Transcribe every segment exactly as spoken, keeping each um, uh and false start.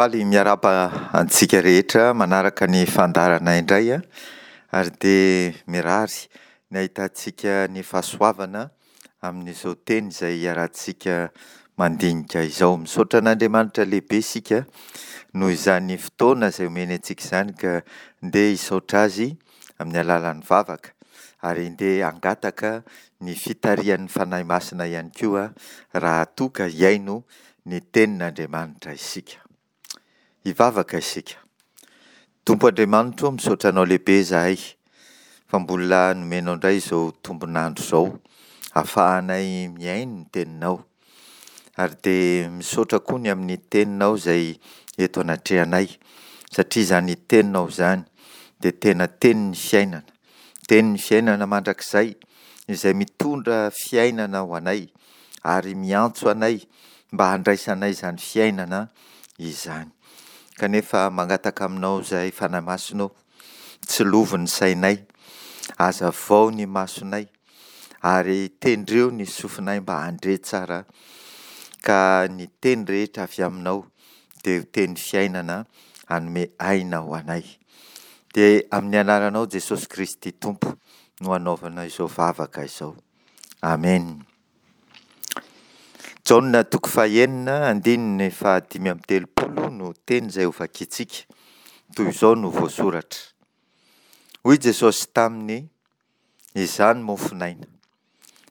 Faly miarahaba antsika rehetra manaraka ny fandaharana indray ary dia mirary ny ahitantsika ny fahasoavana amin'izao teny izay iarahantsika mandinika izao. Misaotra an'Andriamanitra lehibe isika noho izany fotoana izay omeny antsika izany ka ndeha hisaotra Azy amin'ny alalan'ny vavaka ary ndeha hangataka ny fitarihan'ny Fanahy Masina ihany koa raha toa ka hihaino ny tenin'Andriamanitra isika. Hivavaka isika. Tompo Andriamanitro o, misaotra Anao lehibe izahay fa mbola nomenao indray izao tombon'andro izao ahafahanay mihaino ny teninao. Ary dia misaotra koa ny amin'ny teninao izay eto anatrehanay, satria izany teninao izany dia tena tenin'ny fiainana, tenin'ny fiainana mandrakizay izay mitondra fiainana ho anay ary miantso anay mba handraisanay izany fiainana izany. Kanefa mangataka aminao izahay Fanahy Masina ô, tsilovy ny sainay, hazavao ny masonay, ary tendreo ny sofinay mba handre tsara, ka ny teny rehetra avy aminao dia ho teny fiainana hanome aina ho anay. Dia amin'ny anaranao Jesosy Kristy Tompo no anaovana izao vavaka izao. Amen. Jaona toko fahenina andininy fahadimy amby telopolo no teny izay hovakintsika. Toy izao no voasoratra. Hoy Jesosy taminy, Izaho no mofon'aina.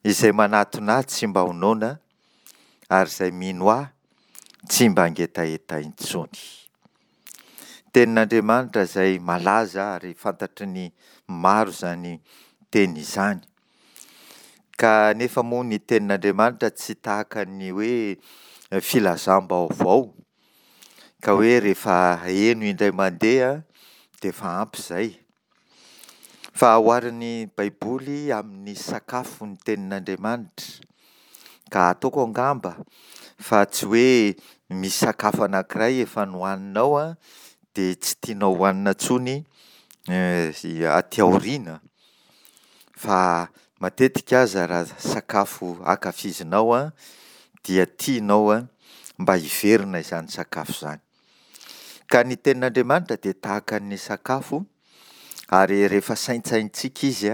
Izay manatona ahy tsy mba ho noana, ary izay mino ahy tsy mba hangetaheta intsony. Tenin'Andriamanitra izay malaza ary fantatry ny maro izany teny izany. Kanefa moa ny tenin'Andriamanitra tsy tahaka ny hoe filazam-baovao ka hoe rehefa heno indray mandeha dia efa ampy izay. Fa oharin'ny Baiboly amin'ny sakafo ny tenin'Andriamanitra. Ka ataoko angamba fa tsy hoe misy sakafo anankiray efa nohaninao dia tsy tianao hohanina intsony aty aoriana. Fa matetika aza raha sakafo ankafizinao dia tianao mba hiverina izany sakafo izany. Ka ny tenin'Andriamanitra dia tahaka ny sakafo ary rehefa saintsainintsika izy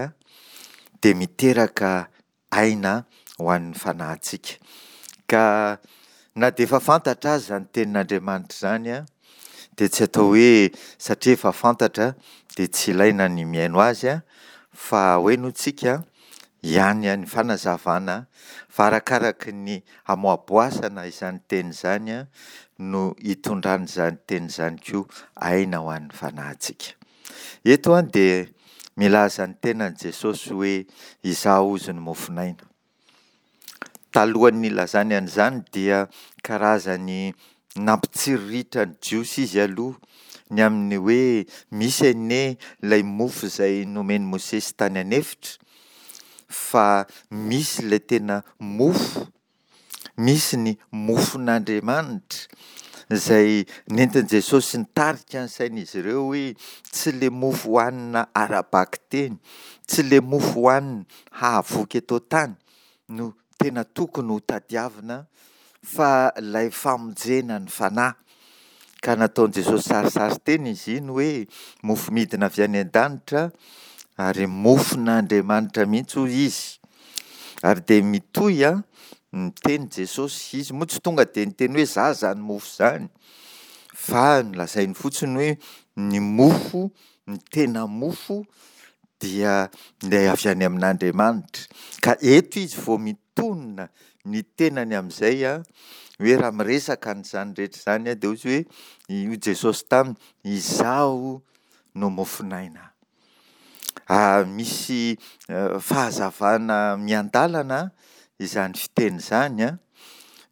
dia miteraka aina ho an'ny fanahintsika. Ka na dia efa fantatra aza izany tenin'Andriamanitra izany dia tsy atao hoe satria efa fantatra dia tsy ilaina ny mihaino azy fa hohenointsika ihany ny fanazavana fa arakaraky ny hamoaboasana izany teny izany no hitondran'izany teny izany koa aina ho an'ny fanahintsika. Eto dia milaza ny tenan'i Jesosy hoe izaho ozy ny mofon'aina. Talohan'ny nilazany an'izany dia karazany nampitsiriritra ny Jiosy izy aloha ny amin'ny hoe misy anie ilay mofo izay nomen'i Mosesy tany an'efitra fa misy ilay tena mofo, misy ny mofon'Andriamanitra izay nentin'i Jesosy nitarika ny sain'izy ireo hoe tsy ilay mofo hohanina ara-bakiteny, tsy ilay mofo hohanina hahavoky eto an-tany no tena tokony ho tadiavina fa ilay famonjena ny fanahy. Ka nataon'i Jesosy sarisary-teny izy iny hoe mofo midina avy any an-danitra ary mofon'Andriamanitra mihitsy hoy izy. Ary dia mitohy an, miteny Jesosy, izy moa tsy tonga dia niteny hoe za izany mofo izany, fa nolazainy fotsiny hoe ny mofo, ny tena mofo dia ilay avy any amin'Andriamanitra. Ka eto izy vao mitonona ny tenany amin'izay an, hoe raha miresaka an'izany rehetra izany an, dia hoy izy hoe, hoy Jesosy taminy, izaho no mofon'aina. Misy fahazavana miandalana izany fiteny izany an,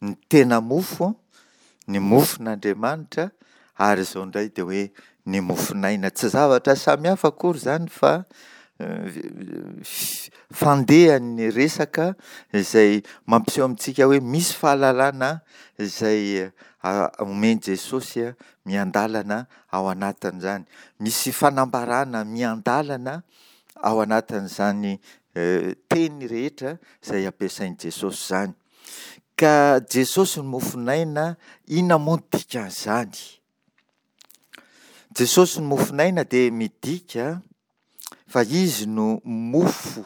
ny tena mofo, ny mofon'Andriamanitra, ary izao indray dia hoe ny mofon'aina. Tsy zavatra samy hafa akory izany fa fandehan'ny resaka izay mampiseho amintsika hoe misy fahalalana izay omen'i Jesosy miandalana ao anatin'izany. Misy fanambarana miandalana ao anatin'izany teny rehetra izay ampiasain'i Jesosy izany. Ka Jesosy no mofon'aina, inona moa no dikan'izany? Jesosy no mofon'aina dia midika fa Izy no mofo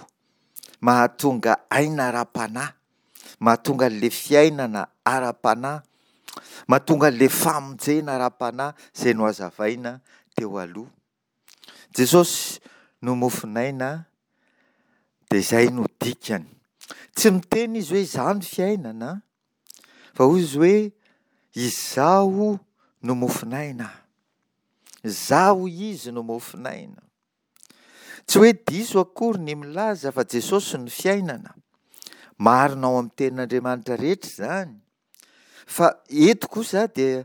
mahatonga aina ara-panahy, mahatonga an'ilay fiainana ara-panahy, mahatonga an'ilay famonjena ara-panahy izay nohazavaina teo aloha. Jesosy no mofon'aina dia izay no dikany. Tsy miteny izy hoe izaho no fiainana fa hoy izy hoe izaho no mofon'aina. Izaho izy no mofon'aina. Tsy hoe diso akory ny milaza fa Jesosy no fiainana. Marina ao amin'ny tenin'Andriamanitra rehetra izany. Fa eto kosa dia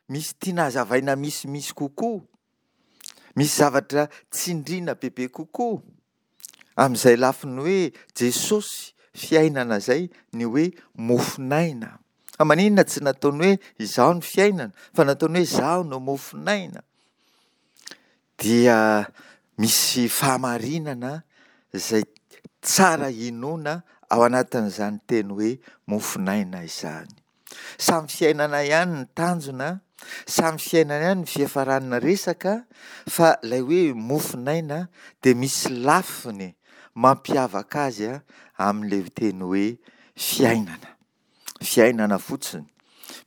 misy tiana hazavaina misimisy kokoa. Misy zavatra tsindriana bebe kokoa amin'izay lafiny hoe Jesosy fiainana izay ny hoe mofon'aina. Fa maninona tsy nataony hoe izaho no fiainana fa nataony hoe izaho no mofon'aina? Dia misy fahamarinana izay tsara inoana ao anatin'izany teny hoe mofon'aina izany. Samy fiainana ihany ny tanjona, samy fiainana ihany ny fiafaran'ny resaka, fa ilay hoe mofon'aina dia misy lafiny mampiavaka azy amin'ilay teny hoe fiainana. Fiainana fotsiny.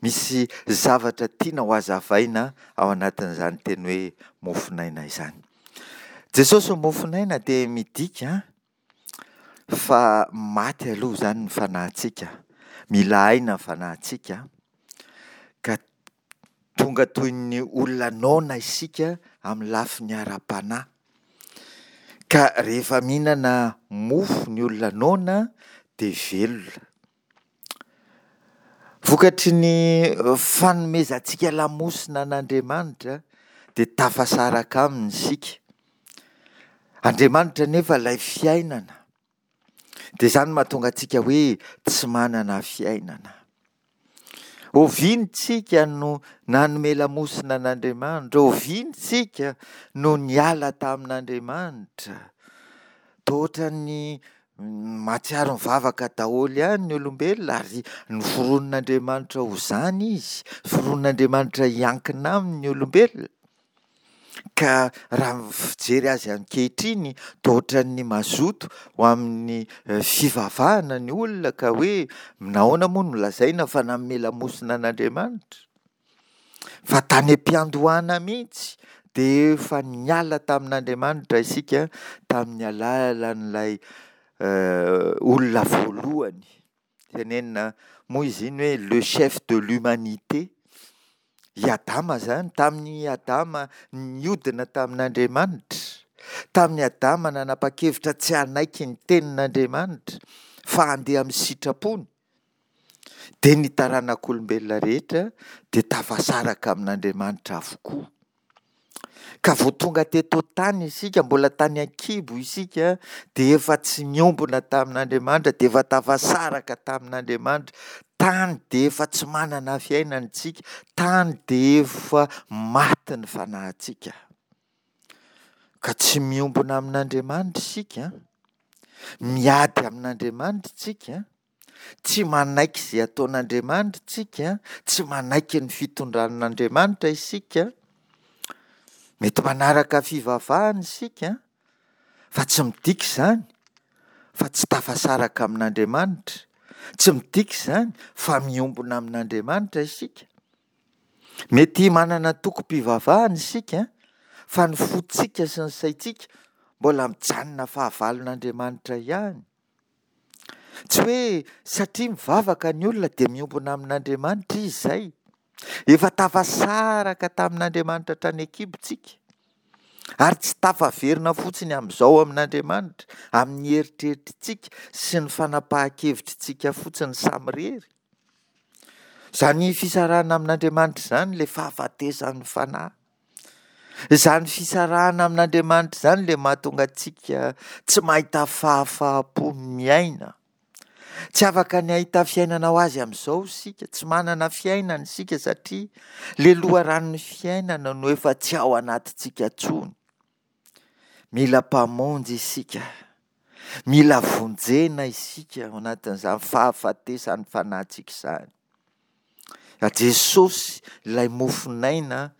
Misy zavatra tiana ho hazavaina ao anatin'izany teny hoe mofon'aina izany. Jesosy mofon'aina dia midika fa maty aloha izany ny fanahintsika, mila aina ny fanahintsika, ka tonga toy ny olona noana isika amin'ny lafiny ara-panahy. Ka rehefa mihinana mofo ny olona noana dia velona. Vokatry ny fanomezantsika lamosina an'Andriamanitra dia tafasaraka aminy isika. Andriamanitra anefa ilay fiainana. Dia izany no mahatonga antsika hoe tsy manana fiainana. Oviana isika no nanome lamosina an'Andriamanitra? Oviana isika no niala tamin'Andriamanitra? Toa ohatran'ny mahatsiaro mivavaka daholo ihany ny olombelona ary noforonin'Andriamanitra ho izany izy. Noforonin'Andriamanitra hiankina aminy ny olombelona. Ka raha ny fijery azy ankehitriny toa ohatran'ny mazoto ho amin'ny fivavahana ny olona ka hoe nahoana moa no lazaina fa nanome lamosina an'Andriamanitra? Fa tany am-piandohana mihitsy dia efa niala tamin'Andriamanitra isika tamin'ny alalan'ilay olona voalohany. Tenenina moa izy iny hoe le chef de l'humanité. I Adama izany, tamin'i Adama niodina tamin'Andriamanitra, tamin'i Adama nanapa-kevitra tsy hanaiky ny tenin'Andriamanitra fa handeha amin'ny sitrapony, dia ny taranak'olombelona rehetra dia tafasaraka amin'Andriamanitra avokoa. Ka vao tonga teto an-tany isika, mbola tany an-kibo isika, dia efa tsy niombona tamin'Andriamanitra, dia efa tafasaraka tamin'Andriamanitra. Tany dia efa tsy manana fiainana isika, tany dia efa maty ny fanahintsika. Ka tsy miombona amin'Andriamanitra isika, miady amin'Andriamanitra isika, tsy manaiky izay ataon'Andriamanitra isika, tsy manaiky ny fitondran'Andriamanitra isika. Mety manaraka fivavahana isika, fa tsy midika izany fa tsy tafasaraka amin'Andriamanitra. Tsy midika izany fa miombona amin'Andriamanitra isika. Mety manana tokom-pivavahana isika, fa ny fontsika sy ny saintsika mbola mijanona fahavalon'Andriamanitra ihany. Tsy hoe satria mivavaka ny olona dia miombona amin'Andriamanitra izy izay. Efa tafasaraka tamin'Andriamanitra hatrany an-kibontsika. Ary tsy tafaverina fotsiny amin'izao amin'Andriamanitra, amin'ny eritreritritsika sy ny fanapahan-kevitritsika fotsiny samirery. Izany fisarahana amin'Andriamanitra izany ilay fahafatesan'ny fanahy. Izany fisarahana amin'Andriamanitra izany ilay mahatonga antsika tsy mahita fahafaham-po miaina. Tsy afaka ny hahita fiainana ho azy amin'izao isika, tsy manana fiainana isika satria ilay loharanon'ny fiainana no efa tsy ao anatintsika intsony. Mila mpamonjy isika, mila vonjena isika ao anatin'izany fahafatesan'ny fanahintsika izany. Jesosy ilay mofon'aina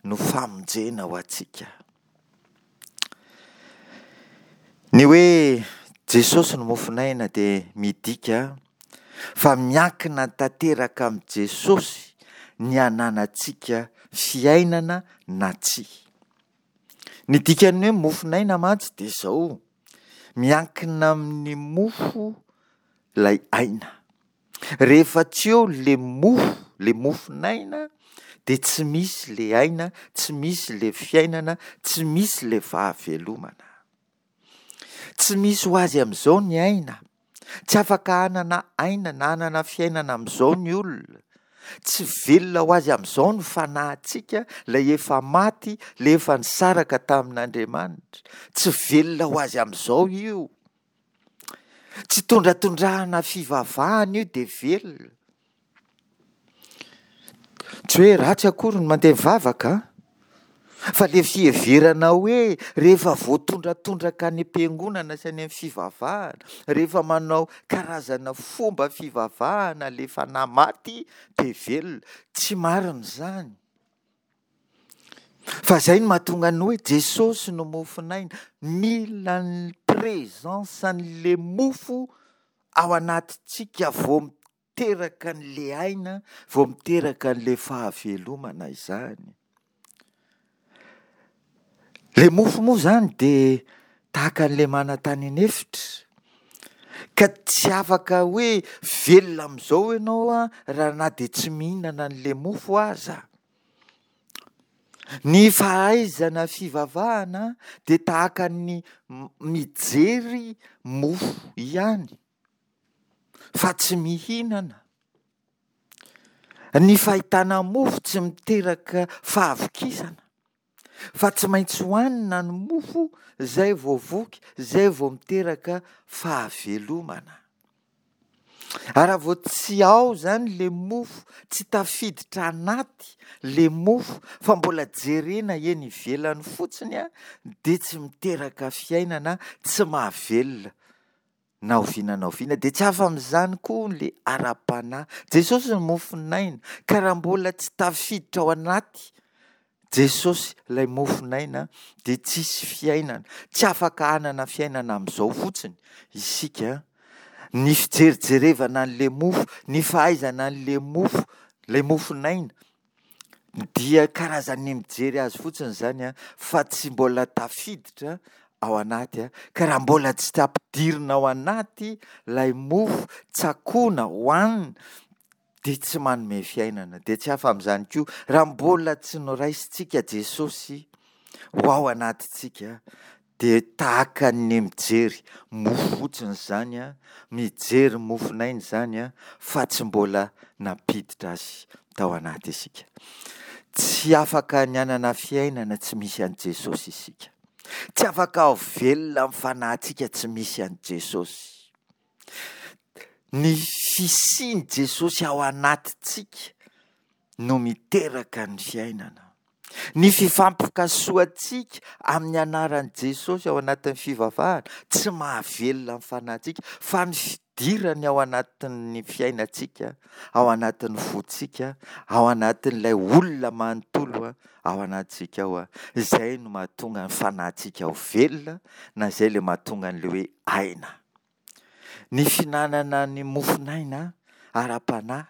no famonjena ho antsika. Ny hoe Jesosy no mofon'aina dia midika fa miankina tanteraka amin'i Jesosy ny hananantsika fiainana na tsia. Ny dikan'ny hoe mofon'aina mantsy dia izao, miankina amin'ny mofo ilay aina. Rehefa tsy eo ilay mofo, ilay mofon'aina, dia tsy misy ilay aina, tsy misy ilay fiainana, tsy misy ilay fahavelomana. Tsy misy ho azy amin'izao ny aina. Tsy afaka hanana aina na hanana fiainana amin'izao ny olona. Tsy velona ho azy amin'izao ny fanahintsika, ilay efa maty, ilay efa nisaraka tamin'Andriamanitra. Tsy velona ho azy amin'izao io. Tsy tondratondrahana fivavahana io dia velona. Tsy hoe ratsy akory ny mandeha mivavaka an! Fa ilay fiheverana hoe rehefa voatondratondraka any am-piangonana sy any amin'ny fivavahana, rehefa manao karazana fomba fivavahana ilay fanahy maty dia velona. Tsy marina izany. Fa izay no mahatonga ny hoe Jesosy no mofon'aina. Mila ny présence an'ilay mofo ao anatintsika vao miteraka an'ilay aina, vao miteraka an'ilay fahavelomana izany. Ilay mofo moa izany dia tahaka an'ilay mana tany an'efitra, ka tsy afaka hoe velona amin'izao ianao an, raha na dia tsy mihinana an'ilay mofo aza. Ny fahaizana fivavahana dia tahaka ny mijery mofo ihany, fa tsy mihinana. Ny fahitana mofo tsy miteraka fahavokisana, fa tsy maintsy hohanina ny mofo izay vao voky, izay vao miteraka fahavelomana. Ary raha vao tsy ao izany ilay mofo, tsy tafiditra anaty ilay mofo, fa mbola jerena eny ivelany fotsiny, dia tsy miteraka fiainana, tsy mahavelona na oviana na oviana. Dia tsy hafa amin'izany koa ilay ara-panahy. Jesosy no mofon'aina, ka raha mbola tsy tafiditra ao anaty Jesosy ilay mofon'aina dia tsisy fiainana. Tsy afaka hanana fiainana amin'izao fotsiny isika. Ny fijerijerevana an'ilay mofo, ny fahaizana an'ilay mofo, ilay mofon'aina, dia karazan'ny mijery azy fotsiny izany an, fa tsy mbola tafiditra ao anaty. Ka raha mbola tsy ampidirina ao anaty ilay mofo, tsakoina, hohanina, dia tsy manome fiainana. Dia tsy hafa amin'izany koa, raha mbola tsy noraisintsika Jesosy ho ao anatintsika, dia tahaka ny mijery mofo fotsiny izany, mijery mofon'aina izany, fa tsy mbola nampiditra azy tao anaty isika. Tsy afaka ny hanana fiainana tsy misy an'i Jesosy isika. Tsy afaka ho velona amin'ny fanahintsika tsy misy an'i Jesosy. Ny fisian'i Jesosy ao anatintsika no miteraka ny fiainana. Ny fifampikasohantsika amin'ny anaran'i Jesosy ao anatin'ny fivavahana tsy mahavelona ny fanahintsika, fa ny fidirany ao anatin'ny fiainantsika, ao anatin'ny fontsika, ao anatin'ilay olona manontolo ao anatintsika ao, izay no mahatonga ny fanahintsika ho velona, na izay ilay mahatonga an'ilay hoe aina. Ny fihinanana ny mofon'aina ara-panahy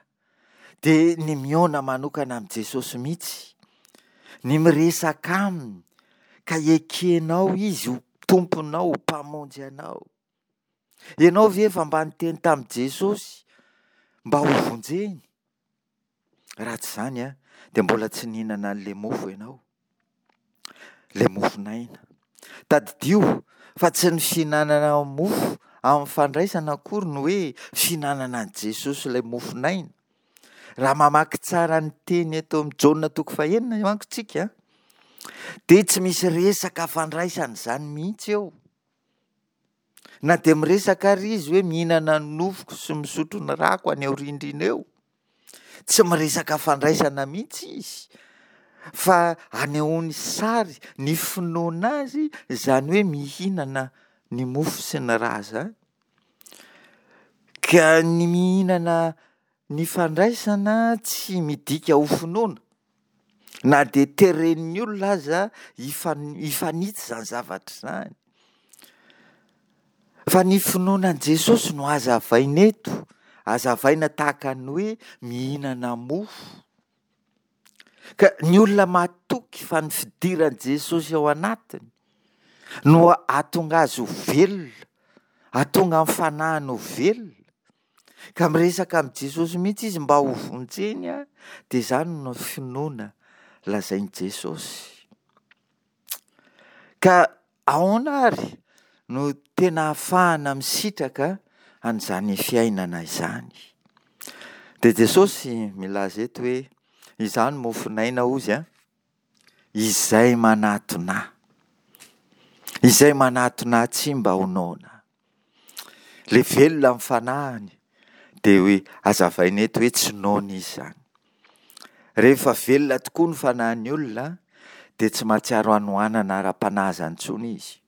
dia ny mihaona manokana amin'i Jesosy mihitsy, ny miresaka aminy ka ekenao izy ho tomponao, ho mpamonjy anao. Ianao ve efa mba niteny tamin'i Jesosy mba ho vonjeny? Raha tsy izany an, dia mbola tsy nihinana an'ilay mofo ianao, ilay mofon'aina. Tadidio fa tsy ny fihinanana mofo amin'ny fandraisana akory no hoe fihinanana an'i Jesosy ilay mofon'aina. Raha mamaky tsara ny teny eto amin'ny Jaona toko fahenina manko tsika, dia tsy misy resaka fandraisana izany mihitsy eo. Na dia miresaka ary izy hoe mihinana ny nofoko sy misotro ny rako any aoriandriana eo, tsy miresaka fandraisana mihitsy izy, fa anehoany sary ny finoana azy izany hoe mihinana ny mofo sy ny ra izany. Ka ny mihinana ny fandraisana tsy midika ho finoana. Na dia teren'ny olona aza hifanitsy izany zavatra izany. Fa ny finoana an'i Jesosy no hazavaina eto, hazavaina tahaka ny hoe mihinana mofo. Ka ny olona matoky fa ny fidiran'i Jesosy ao anatiny no hahatonga azy ho velona, hahatonga ny fanahiny ho velona, ka miresaka amin'i Jesosy mihitsy izy mba ho vonjeny, dia izany no finoana lazain'i Jesosy. Ka ahoana ary no tena ahafahana misitraka an'izany fiainana izany? Dia Jesosy milaza eto hoe, izaho no mofon'aina hozy an, izay manatona ahy, izay manatona ahy tsy mba ho noana. Ilay velona amin'ny fanahiny dia hoe hazavaina eto hoe tsy noana izy izany. Rehefa velona tokoa ny fanahin'ny olona dia tsy mahatsiaro hanoanana ara-panahy izany intsony izy.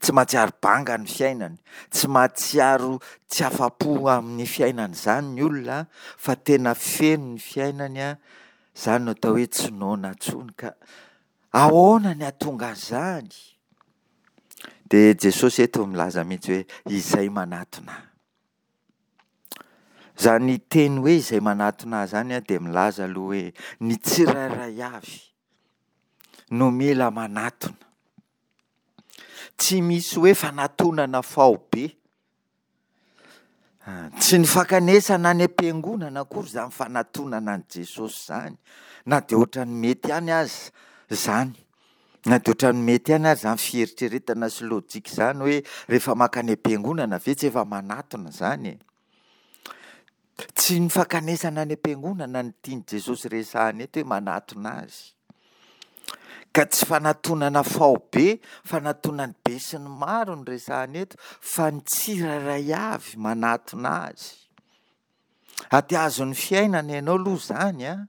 Tsy mahatsiaro banga ny fiainany, tsy mahatsiaro tsy afa-po amin'ny fiainany izany ny olona fa tena feno ny fiainany, izany no atao hoe tsy noana intsony. Ka ahoana ny hahatonga an'izany? Dia Jesosy eto milaza mihitsy hoe izay manatona ahy. Izany teny hoe izay manatona ahy izany dia milaza aloha hoe ny tsirairay avy no mila manatona. Tsy misy hoe fanatonana faobe. Tsy ny fankanesana any am-piangonana akory izany fanatonana an'i Jesosy izany, na dia ohatran'ny mety ihany aza izany. Na dia ohatran'ny mety ihany aza izany fieritreretana sy lojika izany hoe rehefa mankany am-piangonana ve tsy efa manatona izany e? Tsy ny fankanesana any am-piangonana no tian'i Jesosy resahana eto hoe manatona azy. Ka tsy fanatonana faobe, fanatonan'ny be sy ny maro no resahana eto, fa ny tsirairay avy manatona azy. Aty azon'ny fiainana ianao aloha izany an.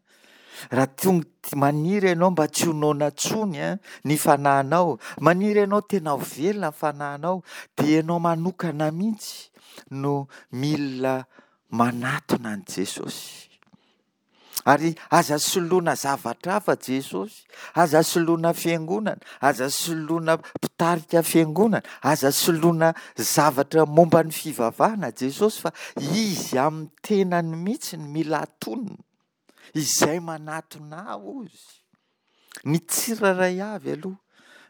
Raha tonga maniry ianao mba tsy ho noana intsony an, ny fanahinao, maniry ianao tena ho velona ny fanahinao, dia ianao manokana mihitsy no mila manatona an'i Jesosy. Ary aza soloina zavatra hafa Jesosy, aza soloina fiangonana, aza soloina mpitarika fiangonana, aza soloina zavatra momba ny fivavahana Jesosy fa Izy amin'ny tenany mihitsy no mila atonina. Izay manatona ahy hozy. Ny tsirairay avy aloha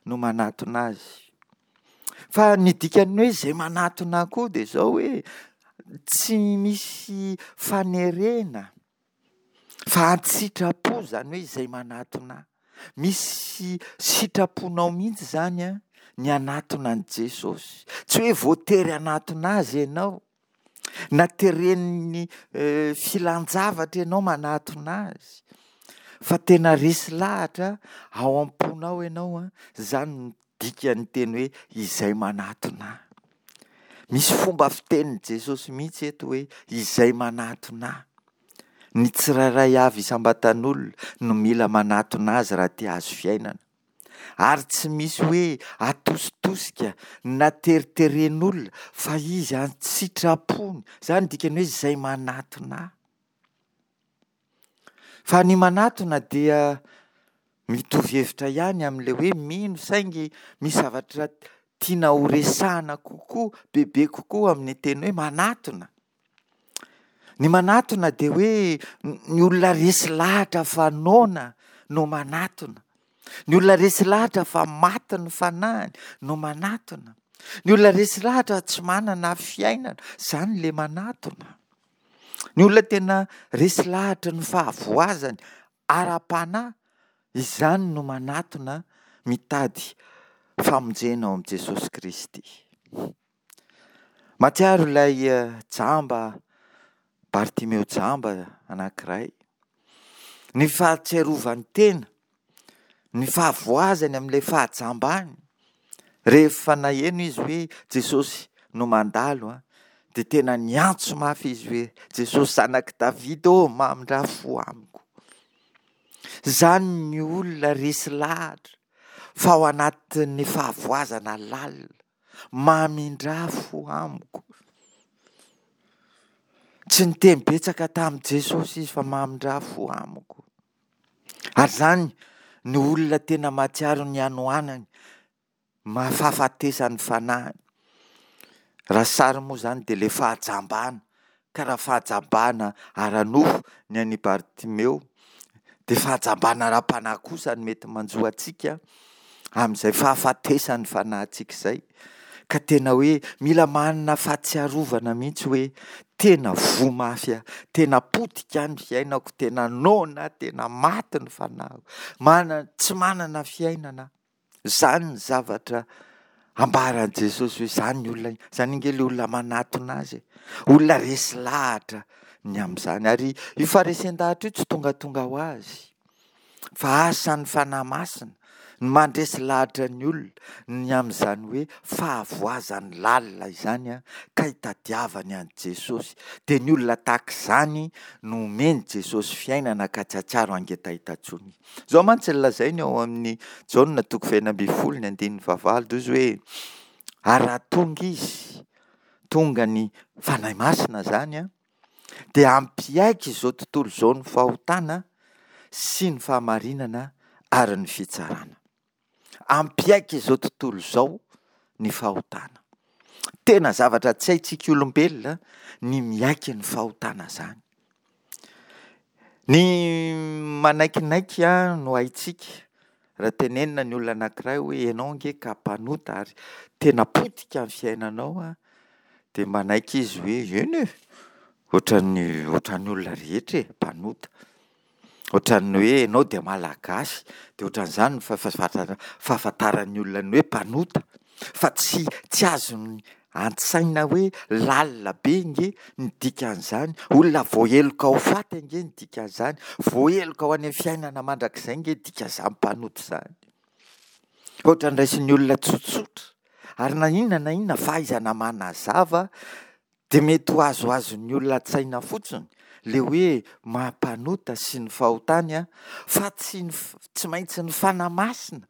no manatona azy. Fa ny dikan'ny hoe izay manatona ahy koa dia izao hoe tsy misy fanerena fa an-tsitrapo izany hoe izay manatona ahy. Misy sitraponao mihitsy izany an, ny hanatona an'i Jesosy. Tsy hoe voatery hanatona azy ianao. Na teren'ny filan-javatra ianao manatona azy. Fa tena resy lahatra ao am-ponao ianao an, izany no dikan'ny teny hoe izay manatona ahy. Misy fomba fitenin'i Jesosy mihitsy eto hoe izay manatona ahy. Ny tsirairay avy isam-batan'olona no mila manatona azy raha te hahazo fiainana. Ary tsy misy hoe atositosika na teriteren'olona fa izy an-tsitrapony. Izany no dikany hoe izay manatona ahy. Fa ny manatona dia mitovy hevitra ihany amin'ilay hoe mino saingy misy zavatra tiana ho resahana kokoa, bebe kokoa amin'ny teny hoe manatona. Ny manatona dia hoe ny olona resy lahatra fa noana no manatona. Ny olona resy lahatra fa maty ny fanahiny no manatona. Ny olona resy lahatra tsy manana fiainana, izany ilay manatona. Ny olona tena resy lahatra ny fahavoazany ara-panahy, izany no manatona mitady famonjena ao amin'i Jesosy Kristy. Mahatsiaro ilay jamba, Bartimeo jamba anankiray, ny fahatsiarovany tena, ny fahavoazany amin'ilay fahajambany. Rehefa naheno izy hoe Jesosy no mandalo, dia tena niantso mafy izy hoe, Jesosy zanak'i Davida ô, mamindrà fo amiko. Izany ny olona resy lahatra fa ao anatin'ny fahavoazana lalina, mamindrà fo amiko. Tsy niteny betsaka tamin'i Jesosy izy fa mamindrà fo amiko. Ary izany ny olona tena mahatsiaro ny hanoanany, mahafahafatesan'ny fanahiny. Raha sary moa izany dia ilay fahajambana, ka raha fahajambana ara-nofo ny an'i Bartimeo dia fahajambana ara-panahy kosa no mety manjo antsika amin'izay fahafatesan'ny fanahintsika izay, ka tena hoe mila manana fahatsiarovana mihitsy hoe tena voa mafy aho, tena potika ny fiainako, tena noana aho, tena maty ny fanahiko, mana- tsy manana fiainana aho. Izany ny zavatra ambaran'i Jesosy hoe izany ny olona, izany ange ilay olona manatona azy e, olona resy lahatra ny amin'izany. Ary io faharesen-dahatra io tsy tongatonga ho azy fa asan'ny Fanahy Masina ny mandresy lahatra ny olona ny amin'izany hoe fahavoazany lalina izany ka hitadiavany an'i Jesosy. Dia ny olona tahaka izany no omen'i Jesosy fiainana ka tsy hahatsiaro hangetaheta intsony. Izao mantsy no lazainy ao amin'ny Jaona toko fahenina ambin'ny folo ny andininy fahavalo dia hoy izy hoe ary raha tonga izy, tonga ny Fanahy Masina izany an, dia hampiaiky izao tontolo izao ny fahotana sy ny fahamarinana ary ny fitsarana. Hampiaiky izao tontolo izao ny fahotana. Tena zavatra tsy haintsika olombelona ny miaiky ny fahotana izany. Ny manaikinaiky no haintsika. Raha tenenina ny olona anankiray hoe ianao ange ka mpanota ary tena potika ny fiainanao an, dia manaiky izy hoe eny e, ohatran'ny ohatran'ny olona rehetra e, mpanota. Ohatran'ny hoe ianao dia malagasy, dia ohatran'izany ny fahafantarana fahafantaran'ny olona ny hoe mpanota. Fa tsy tsy azony an-tsaina hoe lalina be ange ny dikan'izany, olona voaheloka ho faty ange ny dikan'izany, voaheloka ho any amin'ny fiainana mandrakizay ange ny dikan'izany mpanota izany. Ohatran'ny raisin'ny olona tsotsotra, ary na inona na inona fahaizana manazava dia mety ho azoazon'ny olona an-tsaina fotsiny ilay hoe maha mpanota sy ny fahotany an, fa tsy ny tsy maintsy ny Fanahy Masina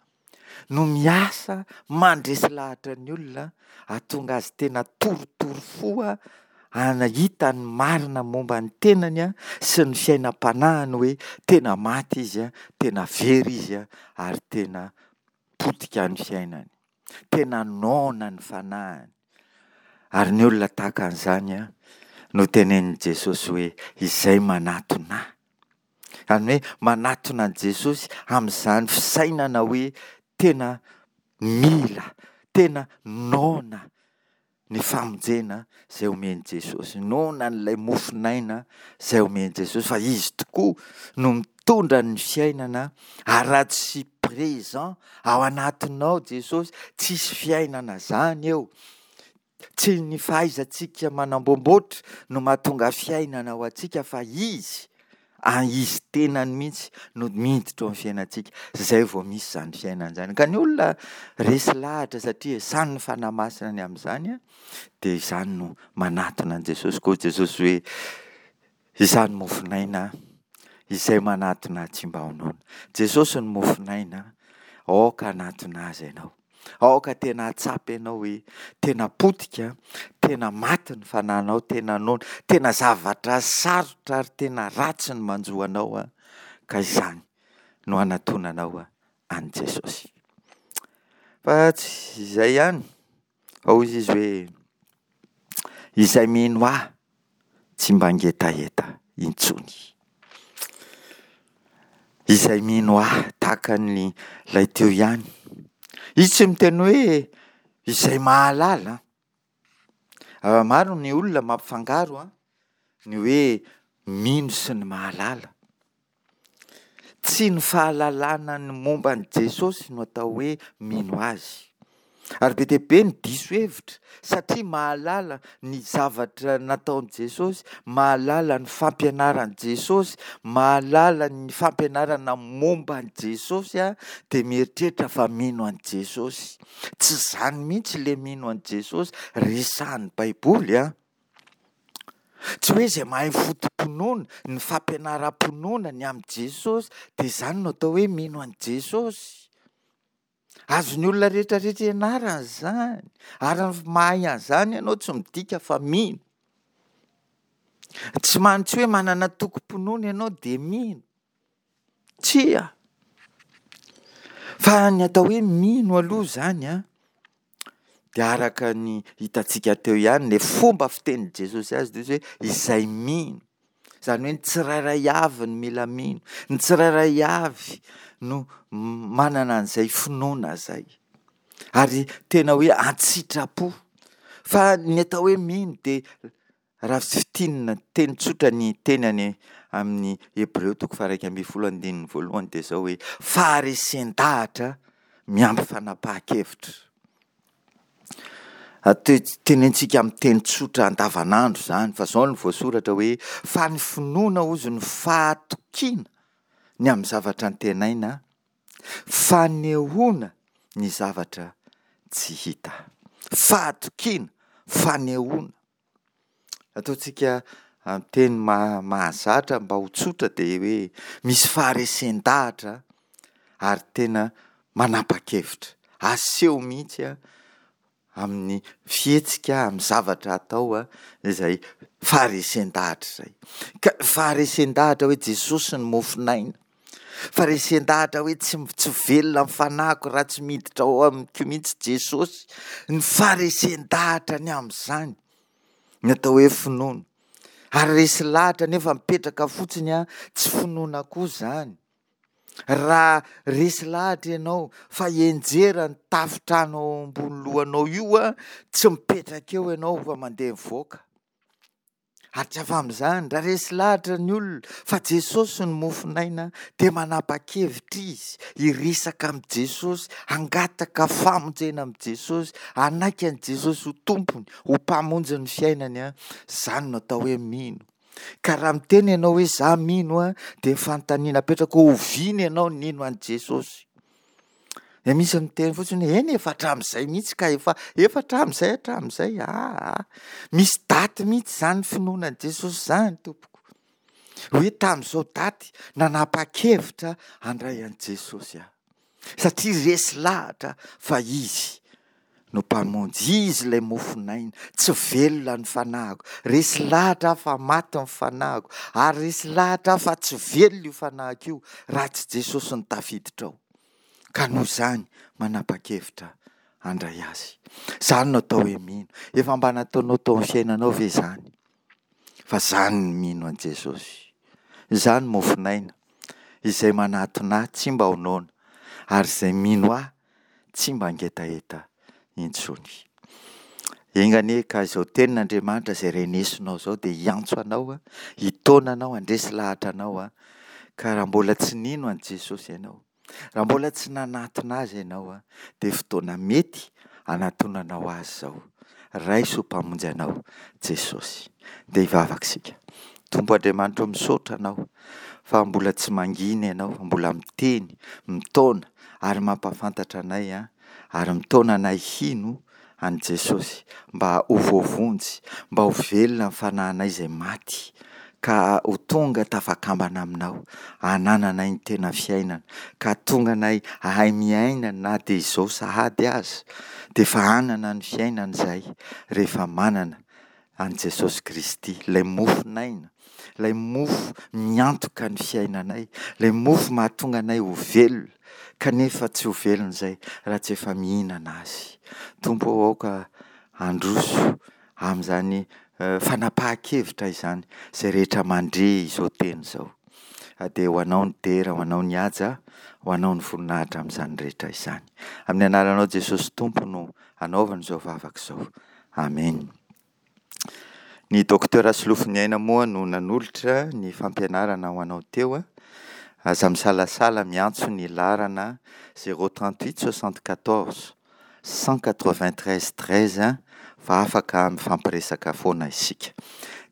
no miasa mandresy lahatra ny olona hahatonga azy tena torotoro fo hahita ny marina momba ny tenany sy ny fiainam-panahiny hoe tena maty izy, tena very izy ary tena potika ny fiainany. Tena noana ny fanahiny. Ary ny olona tahaka an'izany no tenenin'i Jesosy hoe izay manatona ahy. Izany hoe manatona an'i Jesosy amin'izany fisainana hoe tena mila, tena noana ny famonjena izay omen'i Jesosy. Noana an'ilay mofon'aina izay omen'i Jesosy fa Izy tokoa no mitondra ny fiainana ary raha tsy présent ao anatinao Jesosy, tsisy fiainana izany eo. Tsy ny fahaizantsika manamboamboatra no mahatonga fiainana ho antsika fa Izy, Izy tenany mihitsy no miditra ao amin'ny fiainantsika. Izay vao misy izany fiainana izany. Ka ny olona resy lahatra satria esan'ny Fanahy Masina ny amin'izany dia izany no manatona an'i Jesosy. Koa Jesosy hoe izany mofon'aina izay manatona ahy tsy mba ho noana. Jesosy no mofon'aina, aoka hanatona azy ianao. Aoka tena hahatsapa ianao hoe tena potika, tena maty ny fanahinao, tena noana, tena zavatra sarotra ary tena ratsy ny manjo anao ka izany no hanatonanao an'i Jesosy. Fa tsy izay ihany, fa hoy izy hoe izay mino ahy tsy mba hangetaheta intsony. Izay mino ahy tahaka ny ilay teo ihany. Izy tsy miteny hoe izay mahalala. Maro ny olona mampifangaro ny hoe mino sy ny mahalala. Tsy ny fahalalana ny momba an'i Jesosy no atao hoe mino azy. Ary be dia be ny diso hevitra satria mahalala ny zavatra nataon'i Jesosy, mahalala ny fampianaran'i Jesosy, mahalala ny fampianarana momba an'i Jesosy dia mieritreritra fa mino an'i Jesosy. Tsy izany mihitsy ilay mino an'i Jesosy resahin'ny Baiboly an. Tsy hoe izay mahay foto-pinoana, ny fampianaram-pinoana ny amin'i Jesosy dia izany no atao hoe mino an'i Jesosy. Azon'ny olona rehetra rehetra ianarana izany, ary ny mahay an'izany ianao tsy midika fa mino. Tsy man-, tsy hoe manana tokim-pinoana ianao dia mino. Tsia. Fa ny atao hoe mino aloha izany an, dia araka ny hitantsika teo ihany, ilay fomba fitenin'i Jesosy azy dia hoe izay mino. Izany hoe ny tsirairay avy no mila mino, ny tsirairay avy no manana an'izay finoana izay. Ary tena hoe an-tsitrapo. Fa ny atao hoe mino dia raha fintinina teny tsotra ny teny any amin'ny Hebreo toko faha-iraika ambin'ny folo andininy voalohany dia izao hoe faharesen-dahatra miampy fanapahan-kevitra. Tenentsika amin'ny teny tsotra andavanandro izany fa izao no voasoratra hoe fa ny finoana hozy no fahatokiana ny amin'ny zavatra antenaina, fanehoana ny zavatra tsy hita. Fahatokiana, fanehoana. Ataontsika amin'ny teny mahazatra mba ho tsotra dia hoe misy faharesen-dahatra ary tena manapa-kevitra. Aseho mihitsy amin'ny fihetsika, amin'ny zavatra atao izay faharesen-dahatra izay. Ka faharesen-dahatra hoe Jesosy no mofon'aina. Faharesen-dahatra hoe tsy, tsy velona ny fanahiko raha tsy miditra ao amiko mihitsy Jesosy. Ny faharesen-dahatra ny amin'izany ny atao hoe finoana. Ary resy lahatra nefa mipetraka fotsiny an, tsy finoana koa izany. Raha resy lahatra ianao fa hianjera ny tafontrano ao ambony lohanao io an, tsy mipetraka eo ianao fa mandeha mivoaka. Ary tsy afa amin'izany, raha resy lahatra ny olona fa Jesosy no mofon'aina dia manapa-kevitra izy hiresaka amin'i Jesosy, hangataka famonjena amin'i Jesosy, hanaiky an'i Jesosy ho Tompony, ho Mpamonjy ny fiainany an, izany no atao hoe mino. Ka raha miteny ianao hoe za mino an, dia ny fanontaniana apetrako hoe oviana ianao nino an'i Jesosy? Dia misy miteny fotsiny hoe eny efa hatramin'izay mihitsy ka, efa, efa hatramin'izay hatramin'izay, aa. Misy daty mihitsy izany finoana an'i Jesosy izany tompoko. Hoe tamin'izao daty nanapa-kevitra handray an'i Jesosy aho. Satria resy lahatra fa Izy no Mpamonjy, Izy ilay mofon'aina, tsy velona ny fanahiko, resy lahatra aho fa maty ny fanahiko, ary resy lahatra aho fa tsy velona io fanahiko io raha tsy Jesosy no tafiditra ao. Ka noho izany manapa-kevitra handray Azy. Izany no atao hoe mino. Efa mba nataonao tao amin'ny fiainanao ve izany? Fa izany ny mino an'i Jesosy. Izany mofon'aina. Izay manatona ahy tsy mba ho noana, ary izay mino ahy tsy mba hangetaheta intsony. Enga anie ka izao tenin'Andriamanitra izay renesinao izao dia hiantso anao, hitaona anao, handresy lahatra anao, ka raha mbola tsy nino an'i Jesosy ianao, raha mbola tsy nanatona Azy ianao, dia fotoana mety hanatonanao Azy izao. Raiso ho Mpamonjy anao Jesosy. Dia hivavaka isika. Tompo Andriamanitra o, misaotra Anao fa mbola tsy mangina Ianao, fa mbola miteny, mitaona ary mampahafantatra anay ary mitaona anay hino an'i Jesosy mba ho voavonjy, mba ho velona ny fanahinay izay maty ka ho tonga tafakambana aminao, hanananay ny tena fiainana, ka hahatonga anay hahay miaina na dia izao sahady aza, dia efa hanana ny fiainana izahay rehefa manana an'i Jesosy Kristy, ilay mofon'aina, ilay mofo miantoka ny fiainanay, ilay mofo mahatonga anay ho velona, kanefa tsy ho velona izay raha tsy efa mihinana azy. Tompo ô, aoka handroso amin'izany fanapahan-kevitra izany izay rehetra mandre izao teny izao. Dia ho Anao ny dera, ho Anao ny haja, ho Anao ny voninahitra amin'izany rehetra izany. Amin'ny anaranao Jesosy Tompo no anaovana izao vavaka izao. Amen. Ny Docteur Solofoniaina moa no nanolotra ny fampianarana ho anao teo. Aza misalasala miantso ny laharana zéro trente huit soixante quatorze cent quatre vingt treize treize fa afaka mifampiresaka foana isika.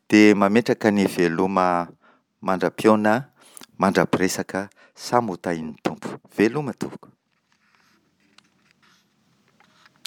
Dia mametraka ny veloma mandra-pihaona, mandra-piresaka, samy ho tahin'ny Tompo. Veloma tompoko.